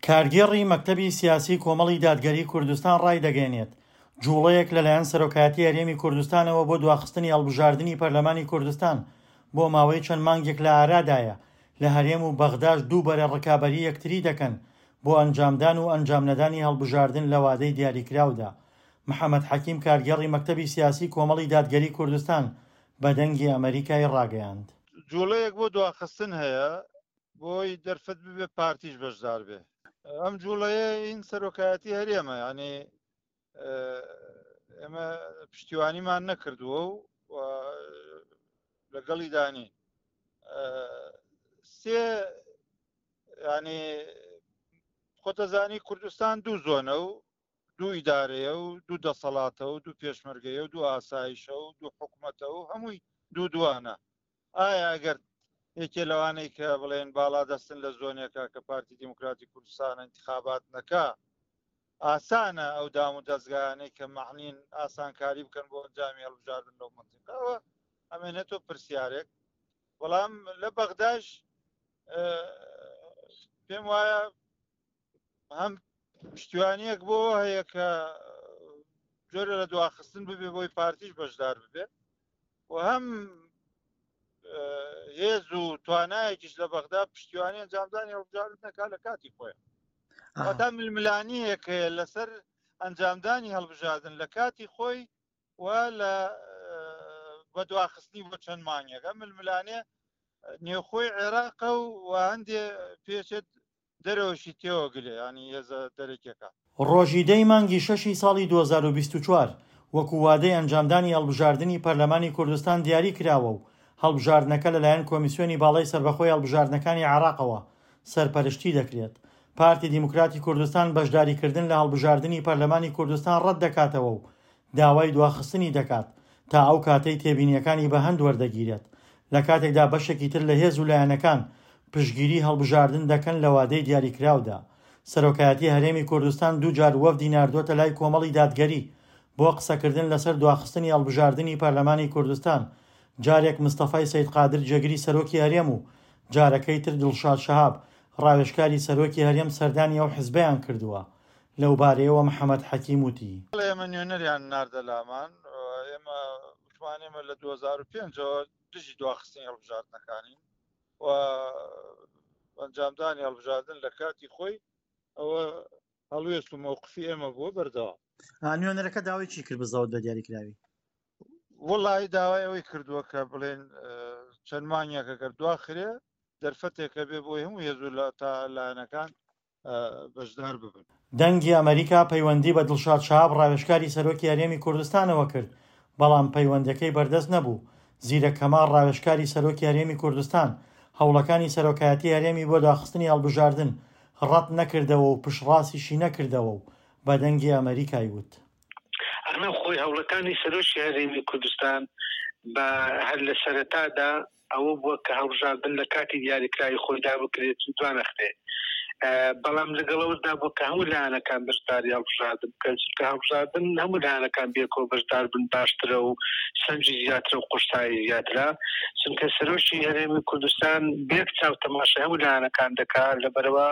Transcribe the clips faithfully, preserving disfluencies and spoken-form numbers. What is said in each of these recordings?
کارگێڕی مەکتەبی سیاسی کۆمەڵی دادگەری کوردستان ڕایدەگەیەنێت، جوڵەیەک لەلایەن سەرۆکایەتی هەرێمی کوردستانەوە بۆ دواخستنی هەڵبژاردنی پەرلەمانی کوردستان بۆ ماوەی چەند مانگێک لە ئارادایە، لە هەرێم و بەغداش دوو بەرە ڕکابەری یەکتری دەکەن بۆ ئەنجامدان و ئەنجامنەدانی هەڵبژاردن لە وادەی دیاریکراودا. محەمەد حەکیم کارگێڕی مەکتەبی سیاسی کۆمەڵی دادگەری کوردستان بە دەنگی ئەمەریکای ڕاگەیاند. جوڵەیەک بۆ دواخستن هەیە بۆی دەرفەت ببێ پارتیش بەشدار بێ. ئەم جوڵەیە ئین سەرۆکایەتی هەرێمە، یعنی ئێمە پشتیوانیمان نەکردووە و لەگەڵی دانی سێ، یعنی خۆتەزانی کوردستان دوو زۆنە و دوو ئیدارەیە و دوو دەسەڵاتە و دوو پێشمەرگەیە و دوو ئاسایشە و دوو حکومەتە و هەمووی دوو دوانە. ئایا ئەگەر یەکێ لەوانەی کە بڵێن باڵا دەستن لە زۆنێکە کە پارتی دیموکراتی کوردستان انتخابات نەکا، ئاسانە ئەو دام و دەستگایانەی کە مەعنین ئاسانکاری بکەن بۆ ئەنجامی هەڵبژاردن لەو منطقەوە؟ ئەمێنێتەوە پرسیارێک. بەڵام لە بەغداش پێم وایە هەم پشتیوانیەک بۆ هەیە کە جۆرە لە دواخستن ببێ بۆی پارتیش بەشدار ببێ و هەم هێز و توانایەکیش لە بەغدا پشتیوانی ئەنجامدانی هەڵبژاردن نەکا لە کاتی خۆیان. واتە ململانیەک هەیە لەسەر ئەنجامدانی هەڵبژاردن لە کاتی خۆی و لە بەدواخستنی بۆ چەند مانگێکە. ململانێ نێوخۆی عێراقە و هەندێ پێچێت دەرەوەشی تێوەگلێ، ینی هێزە دەرەکیەکە. ڕۆژی دەی مانگی شەشی ساڵی دوو هەزار و بیست و چوار وەکو وادەی ئەنجامدانی هەڵبژاردنی پەرلەمانی کوردستان دیاری کراوە و هەڵبژاردنەکە لەلایەن کۆمیسیۆنی باڵای سەربەخۆی هەڵبژاردنەکانی عێراقەوە سەرپەرشتی دەکرێت. پارتی دیموکراتی کوردستان بەشداریکردن لە هەڵبژاردنی پەرلەمانی کوردستان ڕەت دەکاتەوە و داوای دواخستنی دەکات تا ئەو کاتەی تێبینیەکانی بە هەند وەردەگیرێت، لە کاتێکدا بەشێکی تر لە هێز و لایەنەکان پشتگیری هەڵبژاردن دەکەن لە وادەی دیاریکراودا. سەرۆکایەتی هەرێمی کوردستان دوو جار وەفدی ناردووەتە لای کۆمەڵی دادگەری بۆ قسەکردن لەسەر دواخستنی هەڵبژاردنی پەرلەمانی کوردستان، جارێک مستەفای سەید قادر جێگری سەرۆکی هەرێم و جارەکەی تر دڵشاد شەهاب ڕاوێژکاری سەرۆکی هەرێم سەردانی ئەو حزبەیان کردووە. لەو بارەیەوە محەمەد حەکیم وتی: ئێمە نوێنەریان ناردە لامان، ئێمە وتمان ئێمە لە دوو هەزار و پێنجەوە دژی دواخستنی هەڵبژاردنەکانین و ئەنجامدانی هەڵبژاردن لە کاتی خۆی ئەوە هەڵوێست و مەوقفی ئێمە بووە بەردەوام. نوێنەرەکە داوای چی کرد بزەوت بە دیاریکراوی؟ وەڵی داوای ئەوەی کردووە کە بڵێن چەند مانگێکە گەر دواخرێ دەرفەتێکە بێ بۆی هەموو هێز و تا لایەنەکان بەشدار ببن. دەنگی ئەمریکا پەیوەندی بە دڵشاد شەهاب ڕاوێژکاری سەرۆکی هەرێمی کوردستانەوە کرد، بەڵام پەیوەندەکەی بەردەست نەبوو. زیرەک کەمال ڕاوێژکاری سەرۆکی هەرێمی کوردستان هەوڵەکانی سەرۆکایەتی هەرێمی بۆ داخستنی هەڵبژاردن ڕەت نەکردەوە و پشتڕاستیشی نەکردەوە و بە دەنگی ئەمریکای وت: ئەمە خۆی هەوڵەکانی سەرۆکی هەرێمی کوردستان بە هەر لە سەرەتادا ئەوە بووە کە هەڵبژاردن لە کاتی دیاریکراوی خۆیدا بکرێت و دوانەخرێت، بەڵام لەگەڵەوەدا بووە کە هەموو لایەنەکان بەشداری هەڵبژاردن بکەن، چونکە هەڵبژاردن هەموو لایەنەکان بێکەوە بەشدار بن باشترە و سەنجی زیاترە و قورسایی زیاترە، چونکە سەرۆکی هەرێمی کوردستان بێک چاو تەماشای هەموو لایەنەکان دەکات، لەبەرەوە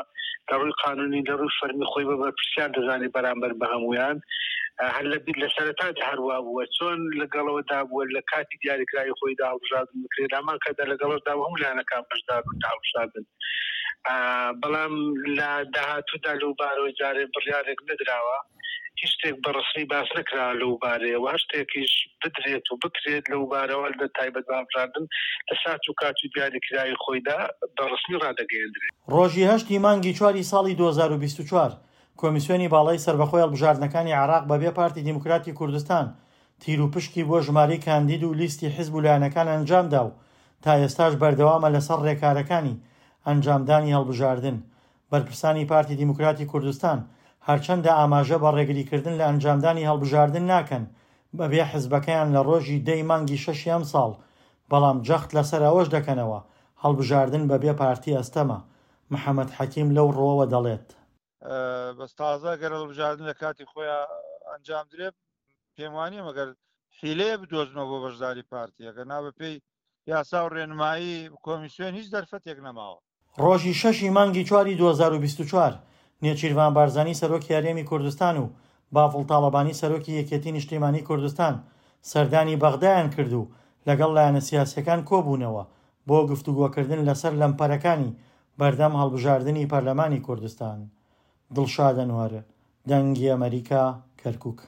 لە ڕووی قانونی لە ڕووی فەرمی خۆی بە بەرپرسیار دەزانێت بەرامبەر بە هەمویان. هەر لە بیر لە سەرەتادا هەروە بووە چۆن لەگەڵەوەدا بووە لە کاتی دیاریکراوی خۆیدا هەڵبژاردن بکرێت، هەمان کاتدا لەگەڵەوەدا هەموو لایەنەکان بەشدار بن لە هەڵبژاردن. بەڵام لە داهاتوودا لەو بارەوە جارێ بڕیارێک نەدراوە، هیچ شتێک بە ڕەسمی باس نەکراوە لەو بارەیەوە، هەر شتێکیش بدرێت و بکرێت لەو بارەوە لە تایبەت بە هەڵبژاردن لە سات و کات و دیاریکراوی خۆیدا بە ڕەسمی ڕادەگەیەندرێت. ڕۆژی هەشتی مانگی چواری ساڵی دوو هەزار و بیست و چوار کۆمیسیۆنی باڵای سەربەخۆی هەڵبژاردنەکانی عێراق بەبێ پارتی دیموکراتی کوردستان تیروپشکی بۆ ژمارەی کاندید و لیستی حیزب و لایەنەکان ئەنجامدا و تا ئێستاش بەردەوامە لەسەر ڕێکارەکانی ئەنجامدانی هەڵبژاردن. بەرپرسانی پارتی دیموکراتی کوردستان هەرچەندە ئاماژە بە ڕێگریکردن لە ئەنجامدانی هەڵبژاردن ناکەن بەبێ حزبەکەیان لە ڕۆژی دەی مانگی شەشی ئەمساڵ، بەڵام جەخت لەسەر ئەوەش دەکەنەوە هەڵبژاردن بەبێ پارتی ئەستەمە. محەمەد حەکیم لەو ڕووەوە دەڵێت: بەس تازە گەر هەڵبژاردن لە کاتی خۆیان ئەنجام درێ پێم وانییە مەگەر حیلەیە بدۆزنەوە بۆ بەشداری پارتیەکە، نا بەپێی یاسا و ڕێنمایی کۆمیسیۆن هیچ دەرفەتێک نەماوە. ڕۆژی شەشی مانگی چواری دوو هەزار و بیست و چوار نێچیرڤان بارزانی سەرۆکی هەرێمی کوردستان و بافڵ تاڵەبانی سەرۆکی یەکێتی نیشتیمانی کوردستان سەردانی بەغدایان کرد و لەگەڵ لایەنە سیاسییەکان کۆبوونەوە بۆ گفتوگۆکردن لەسەر لەمپەرەکانی بەردەم هەڵبژاردنی پەرلەمانی کوردستان. دڵشاد ئەنوەر، دەنگی ئەمەریکا، کەرکوک.